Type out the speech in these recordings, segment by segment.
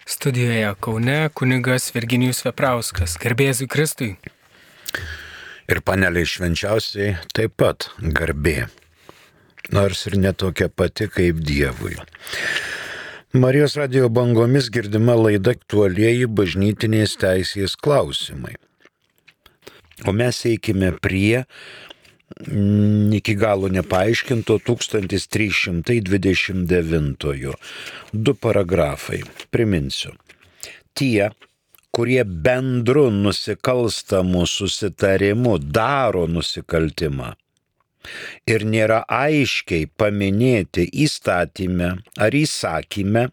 Studijoje Kaune kunigas Virginijus Veprauskas. Garbė Jėzui Kristui. Ir paneliai švenčiausiai taip pat garbė, nors ir netokia pati kaip Dievui. Marijos radijo bangomis girdima laida aktualieji bažnytinės teisės klausimai. O mes eikime prie iki galo nepaaiškinto 1329. 2 paragrafai. Priminsiu. Tie, kurie bendru nusikalstamu susitarimu daro nusikaltimą ir nėra aiškiai paminėti įstatyme ar įsakyme,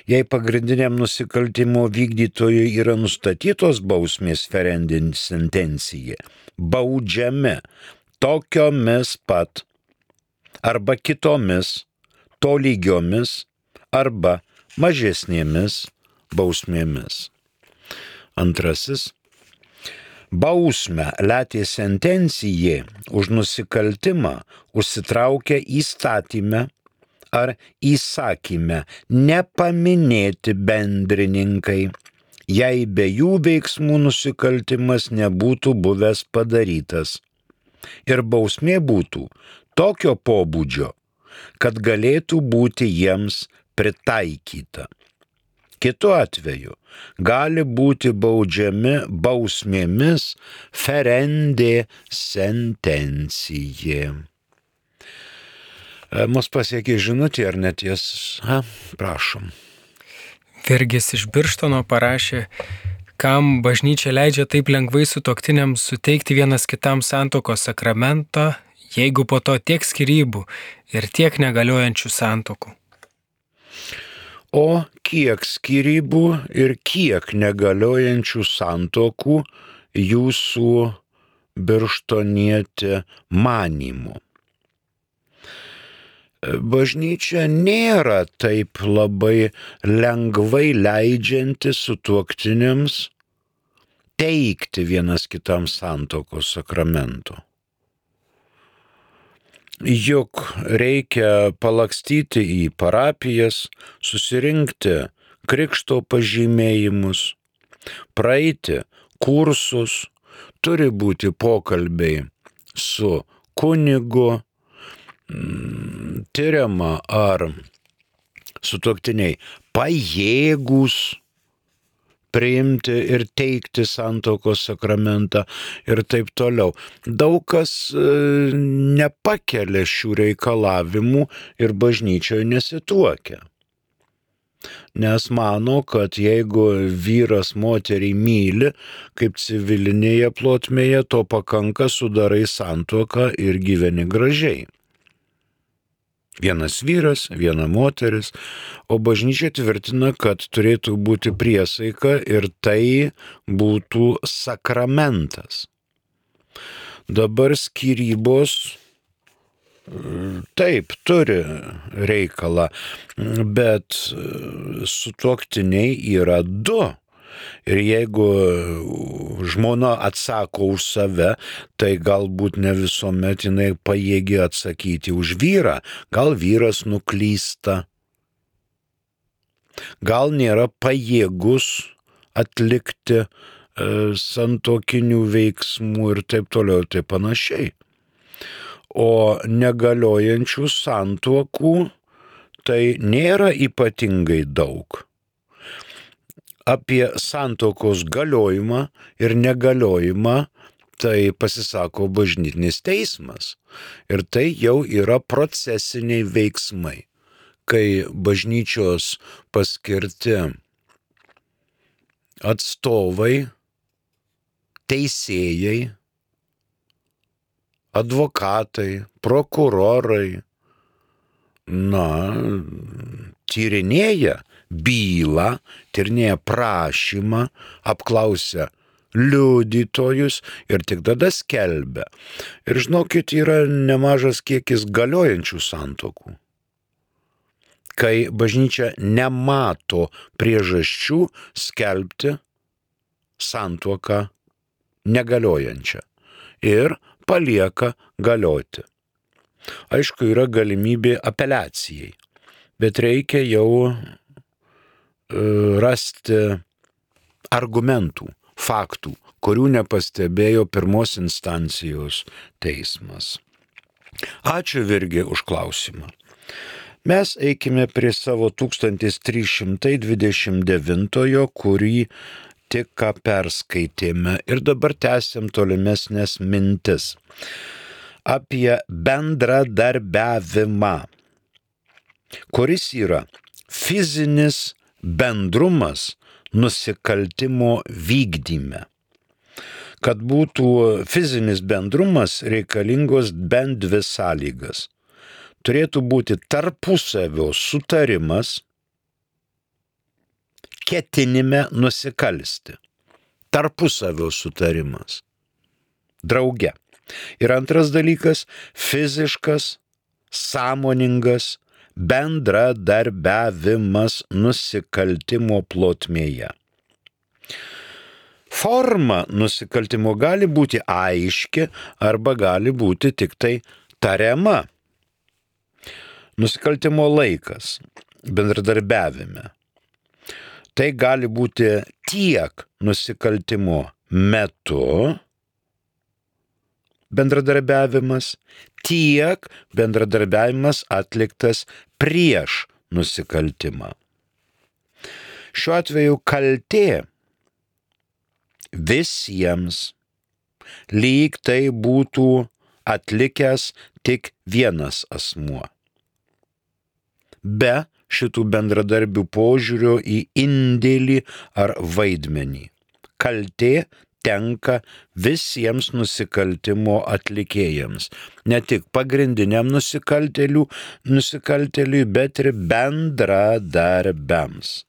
jei pagrindiniam nusikaltimo vykdytojui yra nustatytos bausmės ferendin sentencija, baudžiami tokiomis pat arba kitomis tolygiomis arba mažesnėmis bausmėmis. Antrasis. Bausmę letė sentencijai už nusikaltimą užsitraukia įstatyme ar įsakyme nepaminėti bendrininkai, jei be jų veiksmų nusikaltimas nebūtų buvęs padarytas ir bausmė būtų tokio pobūdžio, kad galėtų būti jiems pritaikyta. Kitu atveju gali būti baudžiami bausmėmis ferendė sentencija. Mus pasiekė žinutė ar neties? Prašom. Virgis iš Birštono parašė, kam bažnyčia leidžia taip lengvai sutuoktiniams suteikti vienas kitam santuokos sakramentą, jeigu po to tiek skyrybų ir tiek negaliojančių santuokų. O kiek skyrybų ir kiek negaliojančių santuokų jūsų birštonietė manymu? Bažnyčia nėra taip labai lengvai leidžianti sutuoktiniams teikti vienas kitam santuokos sakramento. Juk reikia palakstyti į parapijas, susirinkti krikšto pažymėjimus, praeiti kursus, turi būti pokalbiai su kunigu, tyriama ar sutuoktiniai pajėgūs priimti ir teikti santuokos sakramentą ir taip toliau. Daug kas nepakelia šių reikalavimų ir bažnyčioje nesituokia. Nes mano, kad jeigu vyras moterį myli, kaip civilinėje plotmėje, to pakanka, sudarai santuoką ir gyveni gražiai. Vienas vyras, viena moteris, o bažnyčia tvirtina, kad turėtų būti priesaika ir tai būtų sakramentas. Dabar skyrybos taip turi reikalą, bet sutuoktiniai yra du. Ir jeigu žmona atsako už save, tai galbūt ne visuomet jinai pajėgi atsakyti už vyrą. Gal vyras nuklysta, gal nėra pajėgus atlikti santuokinių veiksmų ir taip toliau ir taip panašiai. O negaliojančių santuokų tai nėra ypatingai daug. Apie santuokos galiojimą ir negaliojimą tai pasisako bažnytinis teismas. Ir tai jau yra procesiniai veiksmai, kai bažnyčios paskirti atstovai, teisėjai, advokatai, prokurorai, tyrinėja bylą, tyrinėja prašymą, apklausia liudytojus ir tik tada skelbia. Ir žinokit, yra nemažas kiekis galiojančių santuokų, kai bažnyčia nemato priežasčių skelbti santuoką negaliojančią ir palieka galioti. Aišku, yra galimybė apeliacijai, bet reikia jau rasti argumentų, faktų, kurių nepastebėjo pirmos instancijos teismas. Ačiū Virgi už klausimą. Mes eikime prie savo 1329, kurį tik ką perskaitėme ir dabar tęsiam tolimesnės mintis apie bendradarbiavimą, kuris yra fizinis bendrumas nusikaltimo vykdyme. Kad būtų fizinis bendrumas, reikalingos bent dvi sąlygas. Turėtų būti tarpusavio sutarimas ketinime nusikalsti. Tarpusavio sutarimas. Drauge. Ir antras dalykas - fiziškas, sąmoningas bendradarbiavimas nusikaltimo plotmėje. Forma nusikaltimo gali būti aiški arba gali būti tik tai tariama. Nusikaltimo laikas bendradarbiavime. Tai gali būti tiek nusikaltimo metu bendradarbiavimas, tiek bendradarbiavimas atliktas prieš nusikaltimą. Šiuo atveju kaltė visiems, lyg tai būtų atlikęs tik vienas asmuo. Be šitų bendradarbių požiūrio į indėlį ar vaidmenį. Kaltė tenka visiems nusikaltimo atlikėjams, ne tik pagrindiniam nusikaltėliui, bet ir bendradarbiams.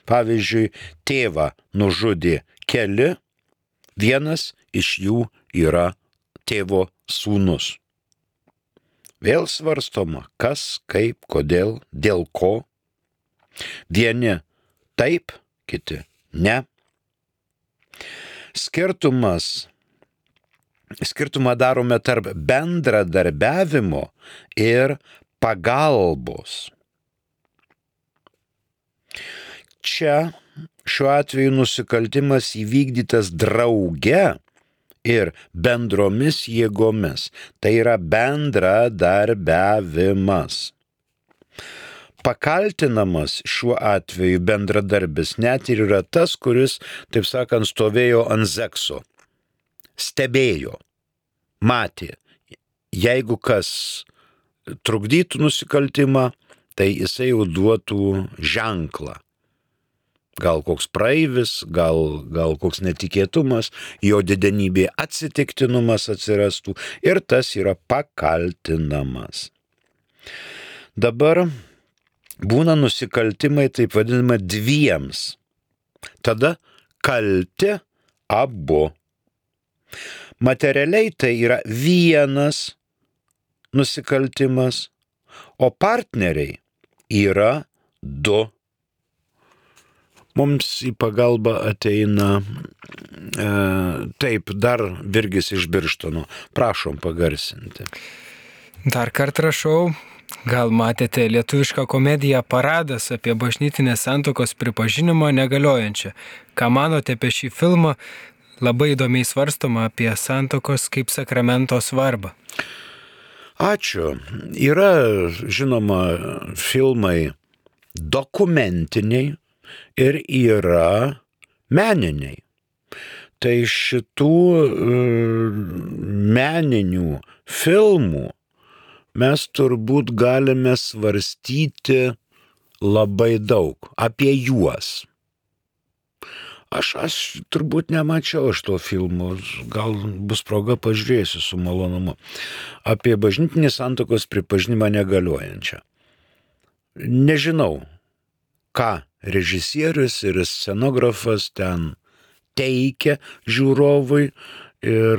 Pavyzdžiui, tėvą nužudė keli, vienas iš jų yra tėvo sūnus. Vėl svarstoma, kas, kaip, kodėl, dėl ko. Vieni taip, kiti ne. Skirtumą darome tarp bendradarbiavimo ir pagalbos. Čia šiuo atveju nusikaltimas įvykdytas drauge ir bendromis jėgomis. Tai yra bendradarbiavimas. Pakaltinamas šiuo atveju bendradarbis net ir yra tas, kuris, taip sakant, stovėjo ant zekso, stebėjo, matė. Jeigu kas trukdytų nusikaltimą, tai jisai jau duotų ženklą. Gal koks praeivis, gal koks netikėtumas, jo didenybė atsitiktinumas atsirastų ir tas yra pakaltinamas. Dabar būna nusikaltimai taip vadinama dviems. Tada kalti abu. Materialiai tai yra vienas nusikaltimas, o partneriai yra du. Mums į pagalbą ateina taip dar Virgis iš Birštono. Prašom pagarsinti. Dar kartą rašau, gal matėte lietuvišką komediją Paradas apie bažnytinės santuokos pripažinimą negaliojančią. Ką manote apie šį filmą? Labai įdomiai svarstoma apie santuokos kaip sakramento svarbą. Ačiū. Yra, žinoma, filmai dokumentiniai ir yra meniniai. Tai šitų meninių filmų mes turbūt galime svarstyti labai daug apie juos. Aš turbūt nemačiau iš to filmo, gal bus proga pažiūrėsiu su malonumu. Apie bažnytinį santuokos pripažinimą negaliojančią. Nežinau, ką režisierius ir scenografas ten teikia žiūrovui ir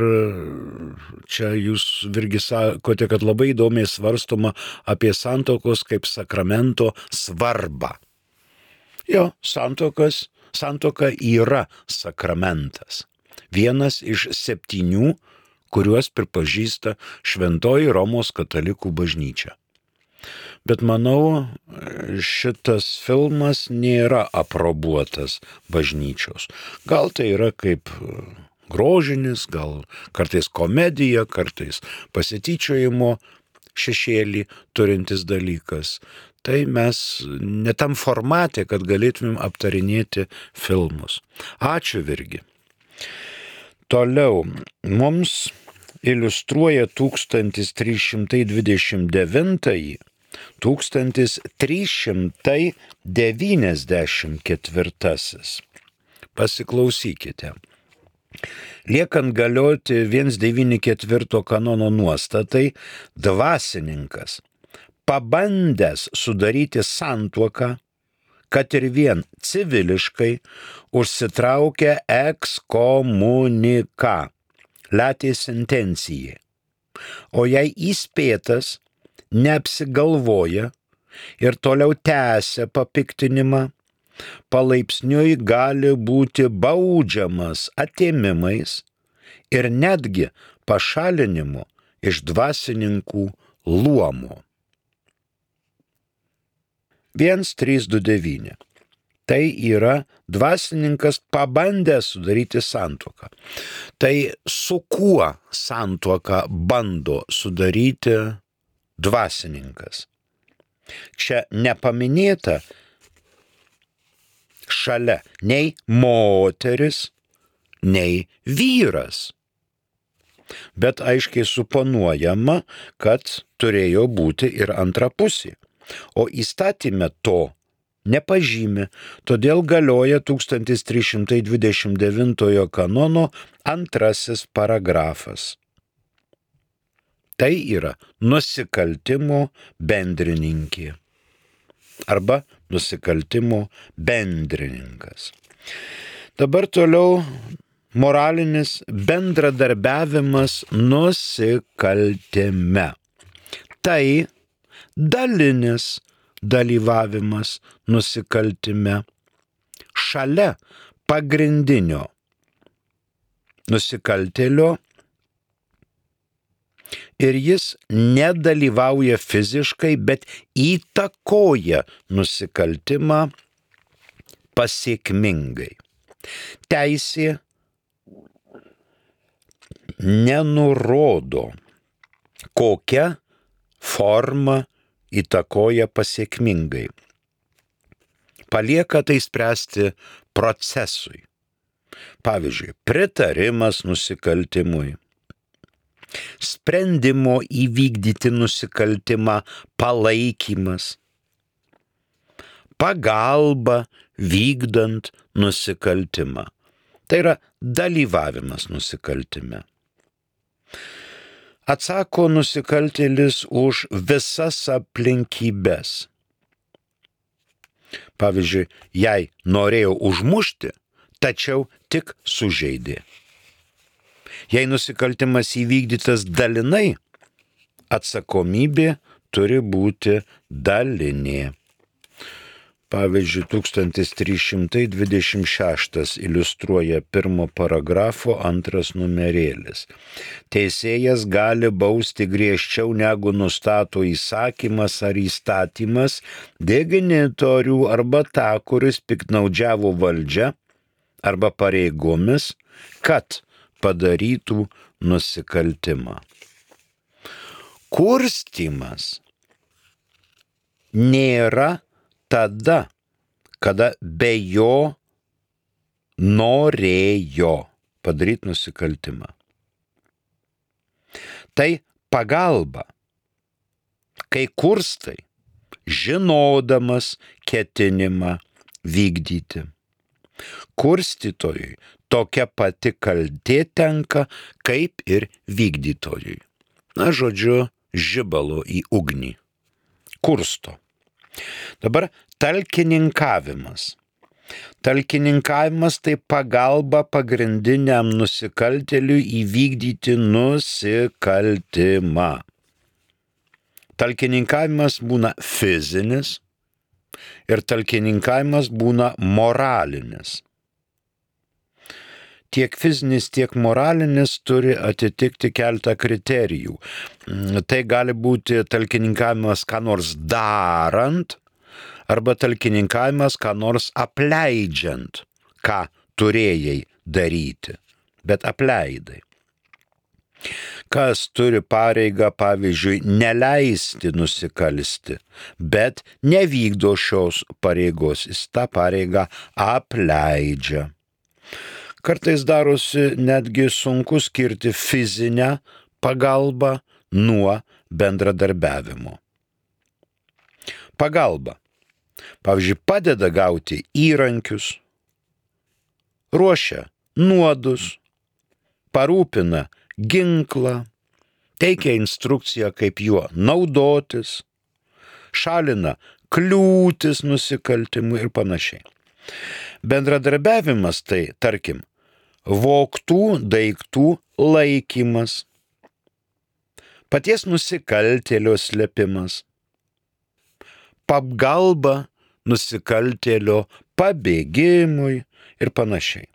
čia jūs Virgi sakote, kad labai įdomiai svarstoma apie santuokos kaip sakramento svarbą. Jo, santuoka yra sakramentas. Vienas iš 7, kuriuos pripažįsta Šventoji Romos katalikų bažnyčia. Bet manau, šitas filmas nėra aprobuotas bažnyčios. Gal tai yra kaip grožinis, gal kartais komedija, kartais pasityčiojimo šešėlį turintis dalykas. Tai mes ne tam formate, kad galėtumėm aptarinėti filmus. Ačiū, Virgi. Toliau mums iliustruoja 1394. Pasiklausykite. Liekant galioti 194 kanono nuostatai, dvasininkas, pabandęs sudaryti santuoką, kad ir vien civiliškai, užsitraukia ekskomuniką, latė sentencijai. O jei įspėtas neapsigalvoja ir toliau tęsia papiktinimą, palaipsniui gali būti baudžiamas atėmimais ir netgi pašalinimu iš dvasininkų luomo. 1329. Tai yra dvasininkas pabandęs sudaryti santuoką. Tai su kuo santuoką bando sudaryti dvasininkas? Čia nepaminėta šalia nei moteris, nei vyras. Bet aiškiai suponuojama, kad turėjo būti ir antra pusė. O įstatyme to nepažymi, todėl galioja 1329 kanono 2 paragrafas. Tai yra nusikaltimo bendrininkė arba nusikaltimo bendrininkas. Dabar toliau moralinis bendradarbiavimas nusikaltime. Tai dalinis dalyvavimas nusikaltime šalia pagrindinio nusikaltėlio ir jis nedalyvauja fiziškai, bet įtakoja nusikaltimą pasiekmingai. Teisė nenurodo, kokia forma įtakoja pasiekmingai. Palieka tai spręsti procesui. Pavyzdžiui, pritarimas nusikaltimui, sprendimo įvykdyti nusikaltimą palaikymas, pagalba vykdant nusikaltimą. Tai yra dalyvavimas nusikaltime. Atsako nusikaltėlis už visas aplinkybės. Pavyzdžiui, jei norėjo užmušti, tačiau tik sužeidė. Jei nusikaltimas įvykdytas dalinai, atsakomybė turi būti dalinė. Pavyzdžiui, 1326 iliustruoja 1 paragrafo 2 numerėlis. Teisėjas gali bausti griežčiau negu nustato įsakymas ar įstatymas deginitorių arba tą, kuris piktnaudžiavo valdžia arba pareigomis, kad padarytų nusikaltimą. Kurstymas nėra tada, kada be jo norėjo padaryti nusikaltimą. Tai pagalba, kai kurstai, žinodamas ketinimą vykdyti. Kurstytojui tokia pati kaltė tenka, kaip ir vykdytojui. Na, žodžiu, žibalo į ugnį. Kursto. Dabar talkininkavimas. Talkininkavimas tai pagalba pagrindiniam nusikaltėliui įvykdyti nusikaltimą. Talkininkavimas būna fizinis ir talkininkavimas būna moralinis. tiek fizinis, tiek moralinis turi atitikti keletą kriterijų. Tai gali būti talkininkavimas ką nors darant, arba talkininkavimas ką nors apleidžiant, ką turėjai daryti, bet apleidai. Kas turi pareigą, pavyzdžiui, neleisti nusikalsti, bet nevykdo šios pareigos, jis tą pareigą apleidžia. Kartais darosi netgi sunku skirti fizinę pagalbą nuo bendradarbiavimo. Pagalba, pavyzdžiui, padeda gauti įrankius, ruošia nuodus, parūpina ginklą, teikia instrukciją, kaip juo naudotis, šalina kliūtis nusikaltimui ir panašiai. Bendradarbiavimas tai, tarkim, vogtų daiktų laikymas, paties nusikaltėlio slėpimas, pagalba nusikaltėlio pabėgimui ir panašiai.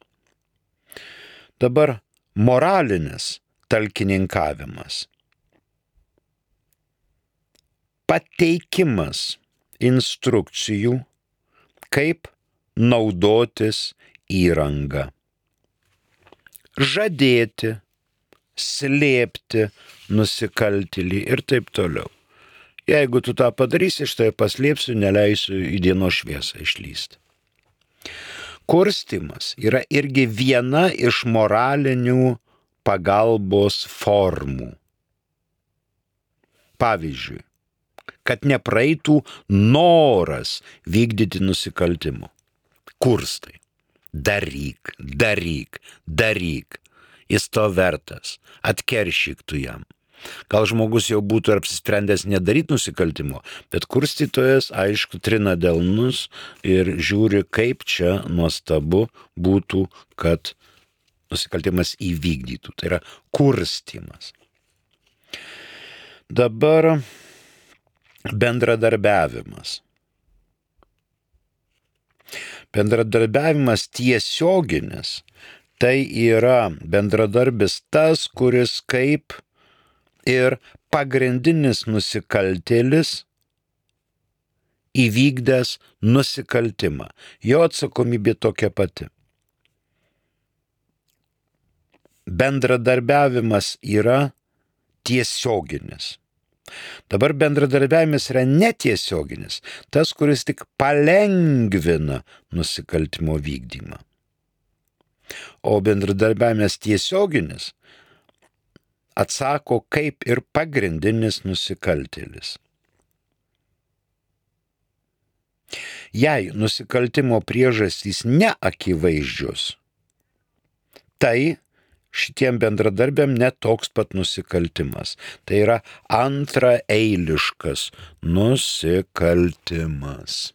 Dabar moralinis talkininkavimas. Pateikimas instrukcijų, kaip naudotis įrangą. Žadėti, slėpti nusikaltėlį ir taip toliau. Jeigu tu tą padarysi, aš tai paslėpsiu, neleisiu į dienos šviesą išlysti. Kurstymas yra irgi viena iš moralinių pagalbos formų. Pavyzdžiui, kad nepraeitų noras vykdyti nusikaltimų. Kurstai. Daryk, daryk, daryk. Jis to vertas. Atkeršyk tu jam. Gal žmogus jau būtų apsisprendęs nedaryti nusikaltimo, bet kurstytojas, aišku, trina delnus ir žiūri, kaip čia nuostabu būtų, kad nusikaltimas įvykdytų. Tai yra kurstymas. Dabar bendradarbiavimas. Bendradarbiavimas tiesioginis. Tai yra bendradarbis tas, kuris kaip ir pagrindinis nusikaltėlis įvykdęs nusikaltimą. Jo atsakomybė tokia pati. Bendradarbiavimas yra tiesioginis. Dabar bendradarbiavimas yra netiesioginis, tas, kuris tik palengvina nusikaltimo vykdymą. O bendradarbiavimas tiesioginis atsako kaip ir pagrindinis nusikaltėlis. Jei nusikaltimo priežastys neakivaizdžios, tai šitiem bendradarbiam netoks pat nusikaltimas. Tai yra antraeiliškas nusikaltimas.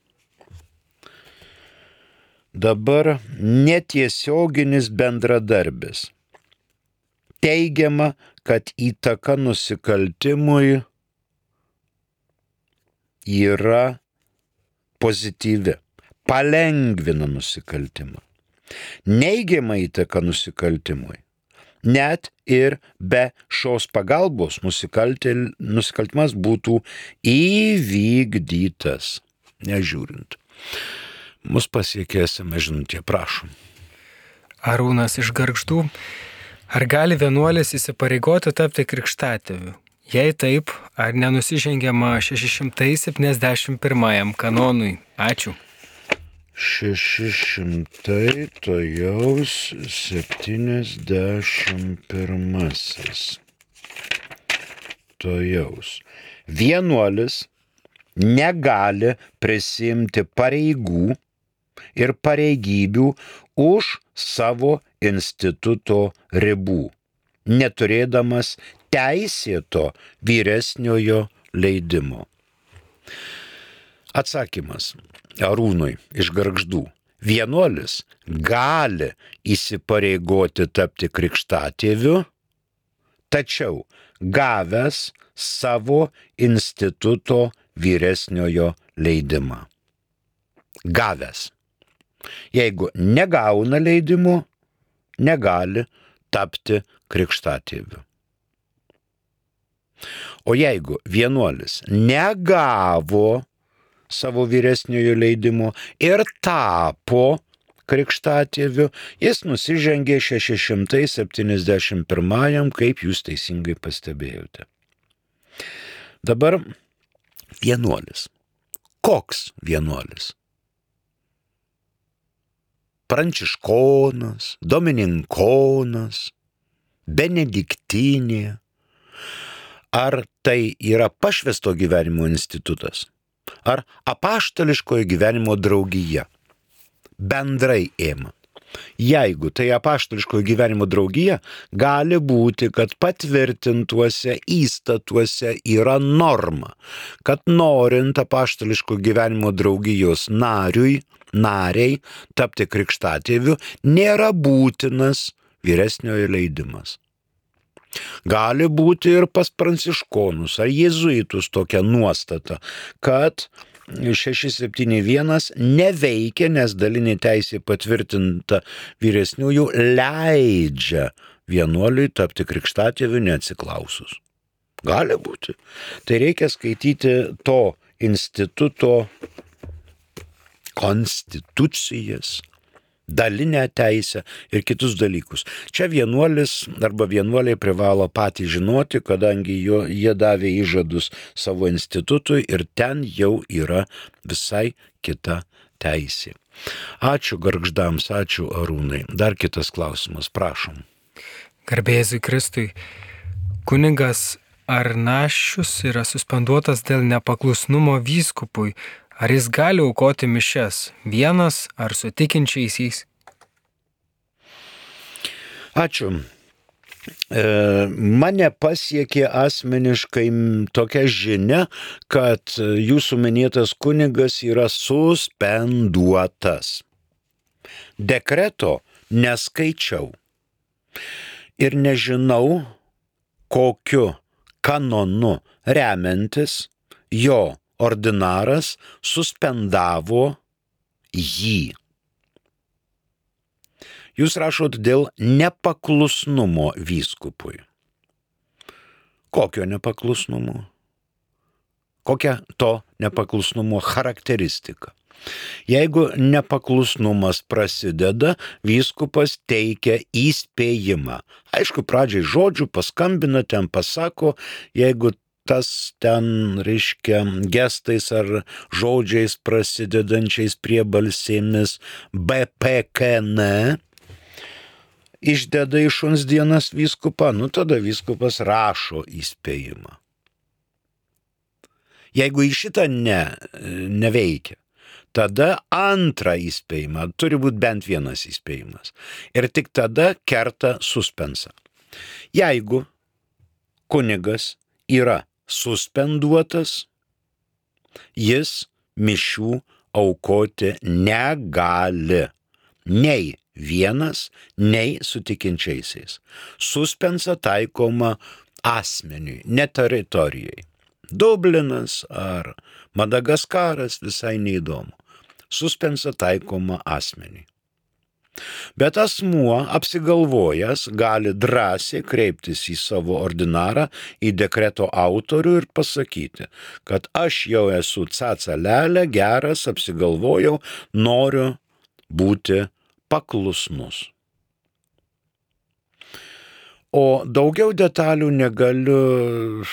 Dabar netiesioginis bendradarbis. Teigiama, kad įtaka nusikaltimui yra pozityvi, palengvina nusikaltimą. Neigiama įtaka nusikaltimui. Net ir be šios pagalbos nusikaltimas būtų įvykdytas, nežiūrint. Mus pasiekė SMS žinutė, prašom. Arūnas iš Gargždų. Ar gali vienuolis įsipareigoti tapti krikštatėviu? Jei taip, ar nenusižengiama 671 kanonui? Ačiū. 600 tojaus 71. Tojaus. Vienuolis negali prisimti pareigų ir pareigybių už savo instituto ribų, neturėdamas teisėto vyresniojo leidimo. Atsakymas Arūnui iš Gargždų. Vienuolis gali įsipareigoti tapti krikštatėviu, tačiau gavęs savo instituto vyresniojo leidimą. Gavęs. Jeigu negauna leidimo, negali tapti krikštatėviu. O jeigu vienuolis negavo savo vyresniojo leidimo ir tapo krikštatėviu, jis nusižengė 671, kaip jūs teisingai pastebėjote. Dabar vienuolis. Koks vienuolis? Pranciškonas, domininkonas, benediktinė. Ar tai yra pašvęsto gyvenimo institutas? Ar apaštališkojo gyvenimo draugija? Bendrai ėmant. Jeigu tai apaštališkojo gyvenimo draugija, gali būti, kad patvirtintuose įstatuose yra norma, kad norint apaštališko gyvenimo draugijos nariai tapti krikštatėviu, nėra būtinas vyresniojo leidimas. Gali būti ir pas pranciškonus ar jėzuitus tokia nuostata, kad 671 neveikia, nes dalinė teisė patvirtinta vyresniųjų leidžia vienuoliui tapti krikštatėviu neatsiklausus. Gali būti. Tai reikia skaityti to instituto konstitucijas, dalinę teisę ir kitus dalykus. Čia vienuolis arba vienuoliai privalo patys žinoti, kadangi jie davė įžadus savo institutui ir ten jau yra visai kita teisė. Ačiū gargždams, ačiū Arūnai. Dar kitas klausimas, prašom. Garbė Jėzui Kristui. Kunigas Arnašius yra suspenduotas dėl nepaklusnumo vyskupui. Ar jis gali aukoti mišias vienas ar su tikinčiaisiais? Ačiū. Mane pasiekė asmeniškai tokia žinia, kad jūsų minėtas kunigas yra suspenduotas. Dekreto neskaičiau ir nežinau, kokiu kanonu remiantis jo ordinaras suspendavo jį. Jūs rašot dėl nepaklusnumo vyskupui. Kokio nepaklusnumo? Kokia to nepaklusnumo charakteristika? Jeigu nepaklusnumas prasideda, vyskupas teikia įspėjimą. Aišku, pradžiai žodžių paskambina, ten pasako, jeigu tas ten, reiškia, gestais ar žodžiais prasidedančiais priebalsėmis BPKN išdeda į šuns dienas vyskupą, tada vyskupas rašo įspėjimą. Jeigu į šitą neveikia, tada antrą įspėjimą, turi būti bent vienas įspėjimas. Ir tik tada kerta suspensą. Jeigu kunigas yra suspenduotas, jis mišių aukoti negali. Nei vienas, nei su tikinčiaisiais. Suspensa taikoma asmeniui, ne teritorijai. Dublinas ar Madagaskaras visai neįdomu. Suspensa taikoma asmeniui. Bet asmuo apsigalvojęs gali drąsiai kreiptis į savo ordinarą, į dekreto autorių ir pasakyti, kad aš jau esu cacalelė, geras, apsigalvojau, noriu būti paklusnus. O daugiau detalių negaliu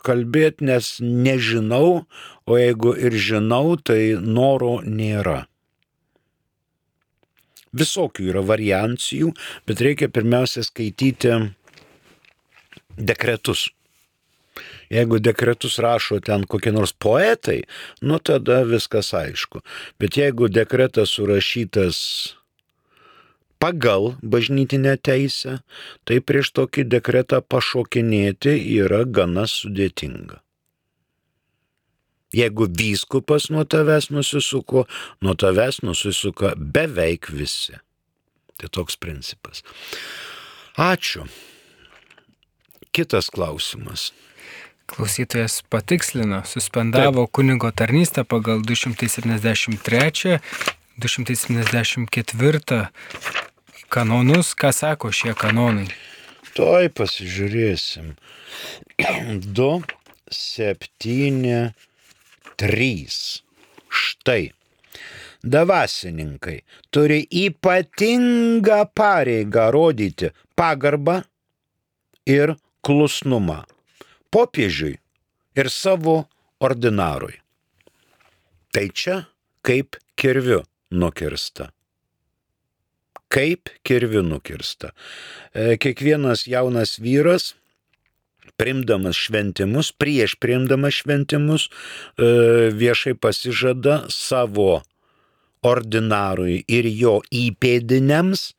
kalbėti, nes nežinau, o jeigu ir žinau, tai noro nėra. Visokių yra variancijų, bet reikia pirmiausia skaityti dekretus. Jeigu dekretus rašo ten kokie nors poetai, tada viskas aišku. Bet jeigu dekretas surašytas pagal bažnytinę teisę, tai prieš tokį dekretą pašokinėti yra gana sudėtinga. Jeigu vyskupas nuo tavęs nusisuka beveik visi. Tai toks principas. Ačiū. Kitas klausimas. Klausytojas patikslino, suspendavo kunigo tarnystę pagal 273, 274 kanonus. Ką sako šie kanonai? Tuoj pasižiūrėsim. 2, 7, 3. Štai. Dvasininkai turi ypatingą pareigą rodyti pagarbą ir klusnumą popiežiui ir savo ordinarui. Tai čia kaip kirviu nukirsta. Kaip kirviu nukirsta. Kiekvienas jaunas vyras, priimdamas šventimus, prieš priimdamas šventimus, viešai pasižada savo ordinarui ir jo įpėdiniams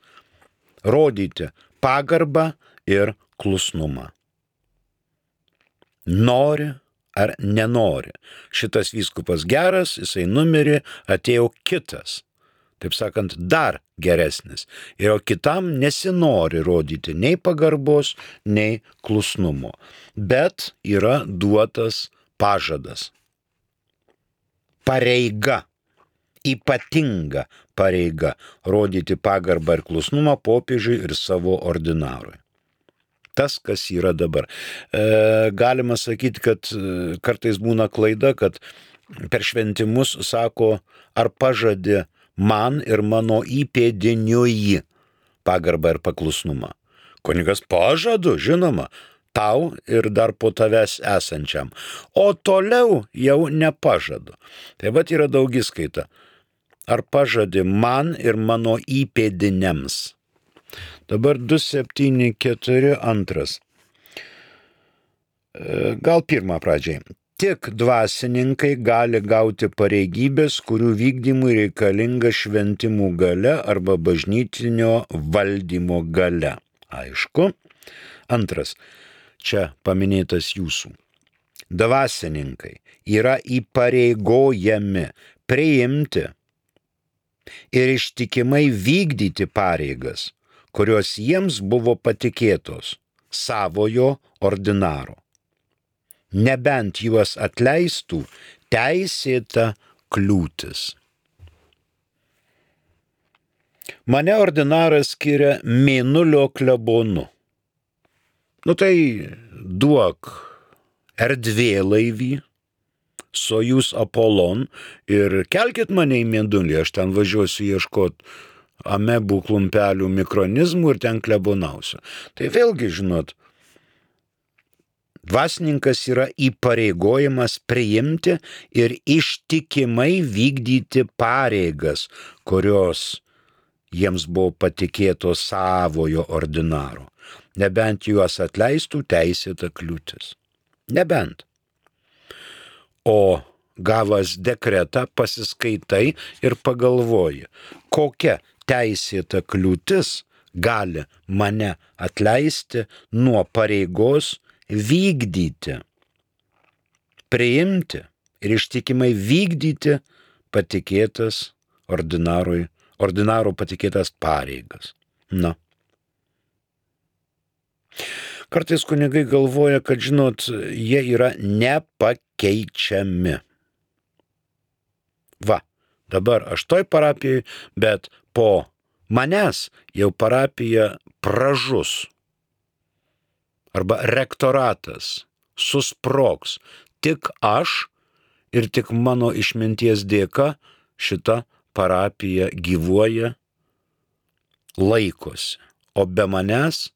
rodyti pagarbą ir klusnumą. Nori ar nenori. Šitas vyskupas geras, jisai numirė, atėjo kitas. Taip sakant, dar geresnis. Ir kitam nesinori rodyti nei pagarbos, nei klusnumo. Bet yra duotas pažadas. Pareiga. Ypatinga pareiga rodyti pagarbą ir klusnumą popiežiui ir savo ordinarui. Tas, kas yra dabar. Galima sakyti, kad kartais būna klaida, kad per šventimus sako, ar pažadė man ir mano įpėdiniui pagarbą ir paklusnumą. Kunigas pažadu, žinoma, tau ir dar po tavęs esančiam. O toliau jau nepažadu. Tai vat yra daugiskaita. Ar pažadė man ir mano įpėdiniams. Dabar 274 antras. Gal pirmą pradžiai. Tik dvasininkai gali gauti pareigybės, kurių vykdymui reikalinga šventimų galia arba bažnytinio valdymo galia. Aišku. Antras. Čia paminėtas jūsų. Dvasininkai yra įpareigojami priimti ir ištikimai vykdyti pareigas, kurios jiems buvo patikėtos savojo ordinaro. Nebent juos atleistų teisėta kliūtis. Mane ordinaras skiria Mėnulio klebonu. Tai duok erdvėlaivį, Sojuz Apollon ir kelkit mane į Mėnulį, aš ten važiuosiu ieškoti amebų klumpelių mikronizmų ir ten klebonausiu. Tai vėlgi, žinot, dvasininkas yra įpareigojimas priimti ir ištikimai vykdyti pareigas, kurios jiems buvo patikėtos savojo ordinaro. Nebent juos atleistų teisėta kliūtis. Nebent. O gavęs dekretą pasiskaitai ir pagalvoji, kokia teisėta kliūtis gali mane atleisti nuo pareigos vykdyti, priimti ir ištikimai vykdyti patikėtas ordinaro patikėtas pareigas. Kartais kunigai galvoja, kad, žinot, jie yra nepakeičiami. Dabar aš toj parapijai, bet po manęs jau parapija pražus. Arba rektoratas susprogs. Tik aš ir tik mano išminties dėka šita parapija gyvuoja, laikosi. O be manęs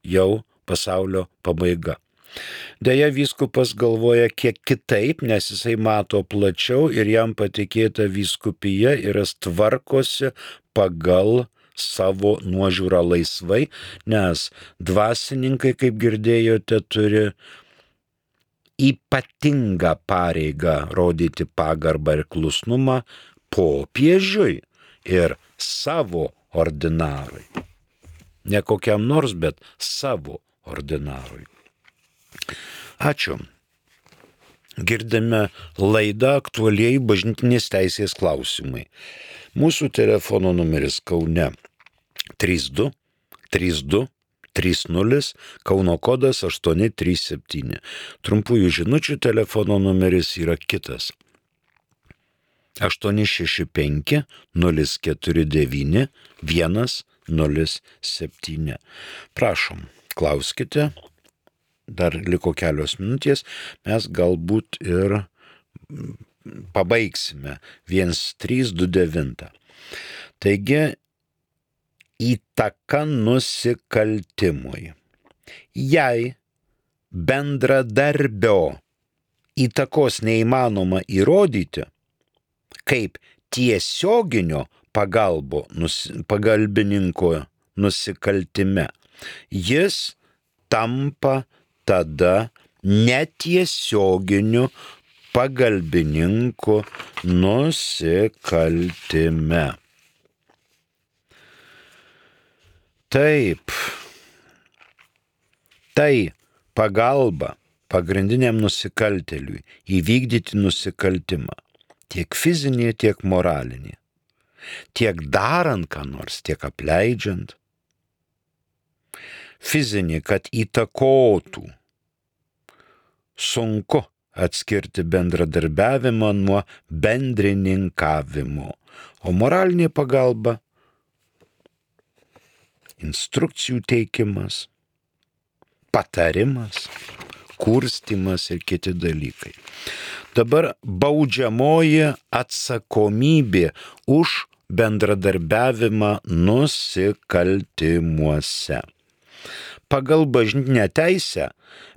jau pasaulio pabaiga. Deja, vyskupas galvoja kiek kitaip, nes jisai mato plačiau ir jam patikėta vyskupija ir jis tvarkosi pagal savo nuožiūrą laisvai, nes dvasininkai, kaip girdėjote, turi ypatingą pareigą rodyti pagarbą ir klusnumą popiežiui ir savo ordinarui. Ne kokiam nors, bet savo ordinarui. Ačiū. Girdime laidą aktualiai bažnytinės teisės klausimai. Mūsų telefono numeris Kaune 32 32 30, Kauno kodas 837. Trumpųjų žinučių telefono numeris yra kitas. 865 049 1 07. Prašom, klauskite. Dar liko kelios minutės, mes galbūt ir pabaigsime 1329. Taigi, įtaka nusikaltimui. Jei bendradarbio įtakos neįmanoma įrodyti, kaip tiesioginio pagalbininko nusikaltime, jis tampa tada netiesioginiu pagalbininku nusikaltime. Taip, tai pagalba pagrindiniam nusikaltėliui įvykdyti nusikaltimą, tiek fizinį, tiek moralinį, tiek darant ką nors, tiek apleidžiant. Fizinį, kad įtakotų. Sunku atskirti bendradarbiavimą nuo bendrininkavimo, o moralinė pagalba - instrukcijų teikimas, patarimas, kurstimas ir kiti dalykai. Dabar baudžiamoji atsakomybė už bendradarbiavimą nusikaltimuose. Pagal bažnytinę teisę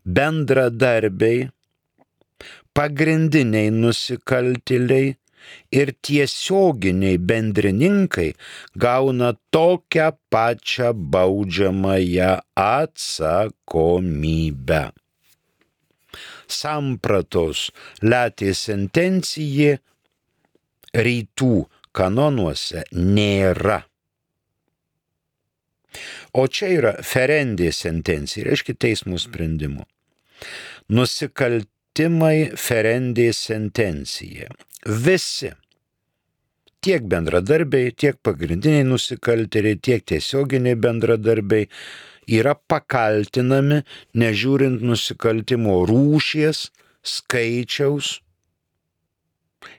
bendradarbiai, pagrindiniai nusikaltėliai ir tiesioginiai bendrininkai gauna tokią pačią baudžiamąją atsakomybę. Sampratos Latie sentencija rytų kanonuose nėra. O čia yra ferendė sentencija, reiškia teismų sprendimų. Nusikaltimai ferendė sentencija. Visi, tiek bendradarbiai, tiek pagrindiniai nusikaltėliai, tiek tiesioginiai bendradarbiai yra pakaltinami, nežiūrint nusikaltimo rūšies, skaičiaus,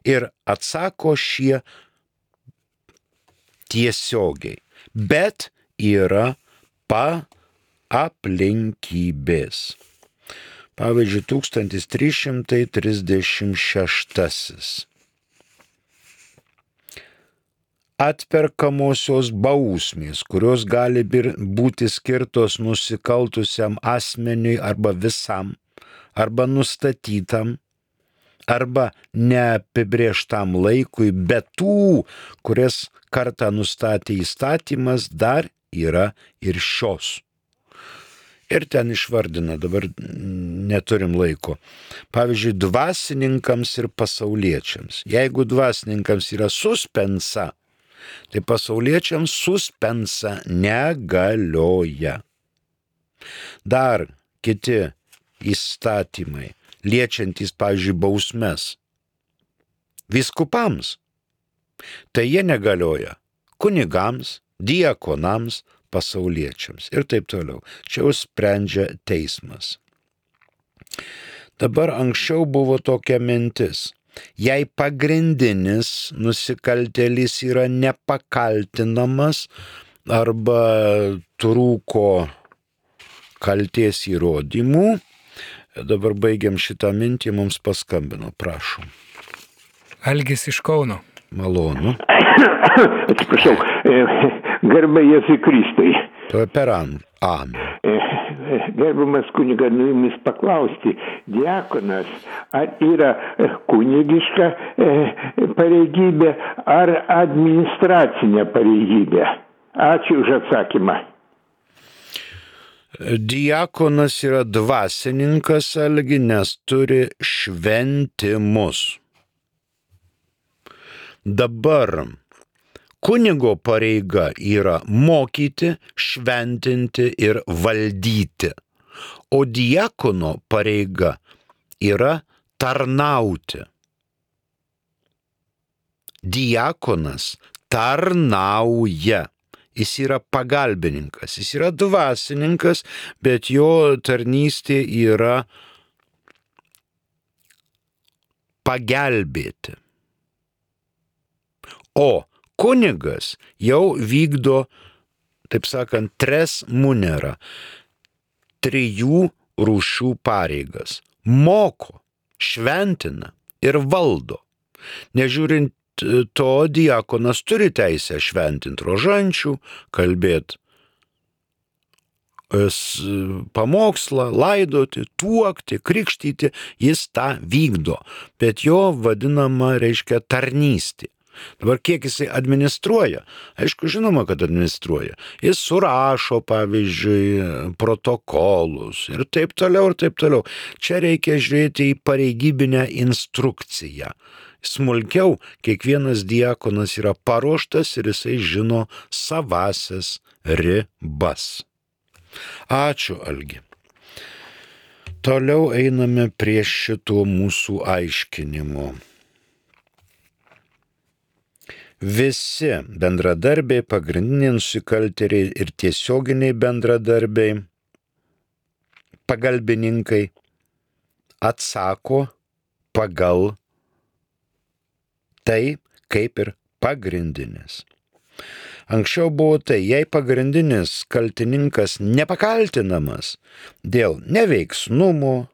ir atsako šie tiesiogiai. Bet yra aplinkybės. Pavyzdžiui, 1336. Atperkamosios bausmės, kurios gali būti skirtos nusikaltusiam asmeniui arba visam, arba nustatytam, arba neapibrėžtam laikui, bet tų, kurias kartą nustatė įstatymas, dar yra ir šios. Ir ten išvardina, dabar neturim laiko. Pavyzdžiui, dvasininkams ir pasauliečiams. Jeigu dvasininkams yra suspensa, tai pasauliečiams suspensa negalioja. Dar kiti įstatymai, liečiantys, pavyzdžiui, bausmes vyskupams, tai jie negalioja kunigams, diakonams, pasauliečiams ir taip toliau. Čia jau sprendžia teismas. Dabar anksčiau buvo tokia mintis. Jei pagrindinis nusikaltėlis yra nepakaltinamas arba trūko kalties įrodymų, dabar baigiam šitą mintį, mums paskambino, prašom. Algis iš Kauno. Malonu. Atsiprašau, garbė Jėzui Kristui. Per amen. Gerbiamas kunigas, jumis paklausti, diakonas, ar yra kunigiška pareigybė, ar administracinė pareigybė? Ačiū už atsakymą. Diakonas yra dvasininkas, Algi, nes turi šventimus. Dabar kunigo pareiga yra mokyti, šventinti ir valdyti, o diakono pareiga yra tarnauti. Diakonas tarnauja. Jis yra pagalbininkas, jis yra dvasininkas, bet jo tarnystė yra pagelbėti. O kunigas jau vykdo, taip sakant, tres munera, 3 rūšių pareigas. Moko, šventina ir valdo. Nežiūrint to, diakonas turi teisę šventinti rožančių, kalbėti pamokslą, laidoti, tuokti, krikštyti, jis tą vykdo, bet jo vadinama reiškia tarnystė. Dabar kiek jisai administruoja? Aišku, žinoma, kad administruoja. Jis surašo, pavyzdžiui, protokolus ir taip toliau, ir taip toliau. Čia reikia žiūrėti į pareigybinę instrukciją. Smulkiau kiekvienas diakonas yra paruoštas ir jisai žino savasias ribas. Ačiū, Algi. Toliau einame prie šito mūsų aiškinimo. Visi bendradarbiai, pagrindiniai nusikaltėliai ir tiesioginiai bendradarbiai, pagalbininkai atsako pagal tai, kaip ir pagrindinis. Anksčiau buvo tai, jei pagrindinis kaltininkas nepakaltinamas dėl neveiksnumo,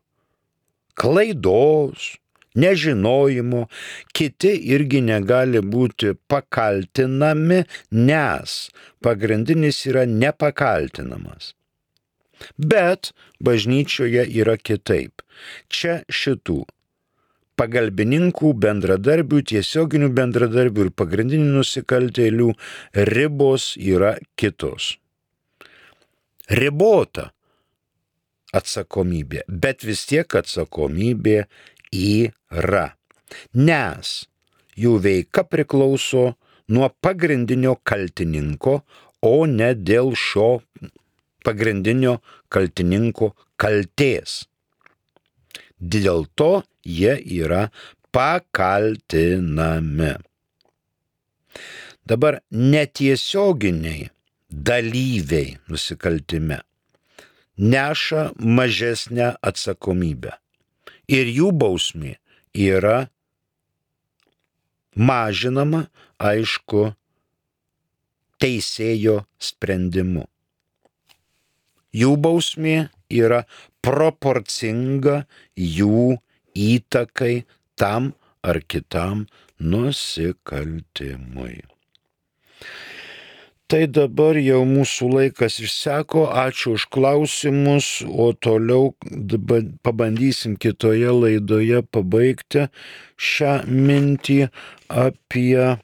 klaidos, nežinojimo, kiti irgi negali būti pakaltinami, nes pagrindinis yra nepakaltinamas. Bet bažnyčioje yra kitaip. Čia šitų pagalbininkų, bendradarbių, tiesioginių bendradarbių ir pagrindinių nusikaltėlių ribos yra kitos. Ribota atsakomybė, bet vis tiek atsakomybė yra, nes jų veika priklauso nuo pagrindinio kaltininko, o ne dėl šio pagrindinio kaltininko kaltės. Dėl to jie yra pakaltinami. Dabar netiesioginiai dalyviai nusikaltime neša mažesnę atsakomybę ir jų bausmė yra mažinama, aišku, teisėjo sprendimu. Jų bausmė yra proporcinga jų įtakai tam ar kitam nusikaltimui. Tai dabar jau mūsų laikas išseko, ačiū už klausimus, o toliau pabandysim kitoje laidoje pabaigti šią mintį apie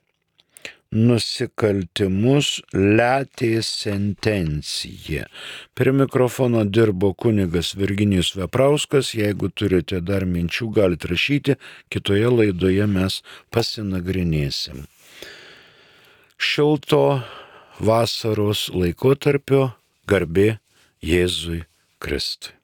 nusikaltimus letės sentencija. Prie mikrofono dirbo kunigas Virginijus Veprauskas. Jeigu turite dar minčių, galite rašyti, kitoje laidoje mes pasinagrinėsim. Šilto vasaros laikotarpio, garbė Jėzui Kristui.